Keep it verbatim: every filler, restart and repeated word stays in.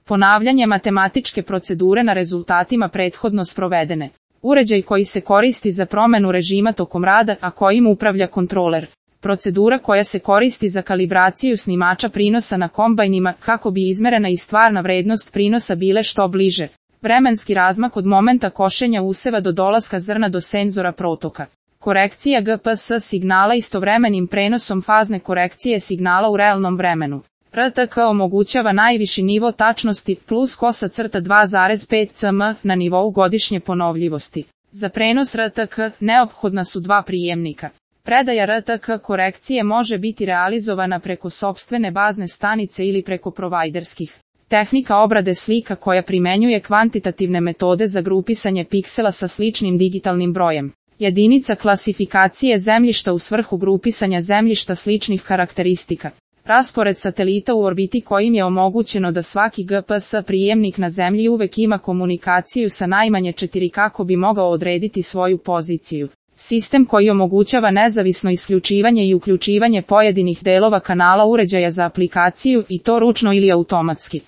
Ponavljanje matematičke procedure na rezultatima prethodno sprovedene. Uređaj koji se koristi za promenu režima tokom rada, a kojim upravlja kontroler. Procedura koja se koristi za kalibraciju snimača prinosa na kombajnima kako bi izmerena i stvarna vrednost prinosa bile što bliže. Vremenski razmak od momenta košenja useva do dolaska zrna do senzora protoka. Korekcija G P S signala istovremenim prenosom fazne korekcije signala u realnom vremenu. R T K omogućava najviši nivo tačnosti plus kosa crta dva zarez pet cm na nivou godišnje ponovljivosti. Za prenos R T K neophodna su dva prijemnika. Predaja R T K korekcije može biti realizovana preko sopstvene bazne stanice ili preko provajderskih. Tehnika obrade slika koja primenjuje kvantitativne metode za grupisanje piksela sa sličnim digitalnim brojem. Jedinica klasifikacije zemljišta u svrhu grupisanja zemljišta sličnih karakteristika. Raspored satelita u orbiti kojim je omogućeno da svaki G P S prijemnik na Zemlji uvek ima komunikaciju sa najmanje četiri kako bi mogao odrediti svoju poziciju. Sistem koji omogućava nezavisno isključivanje i uključivanje pojedinih delova kanala uređaja za aplikaciju i to ručno ili automatski.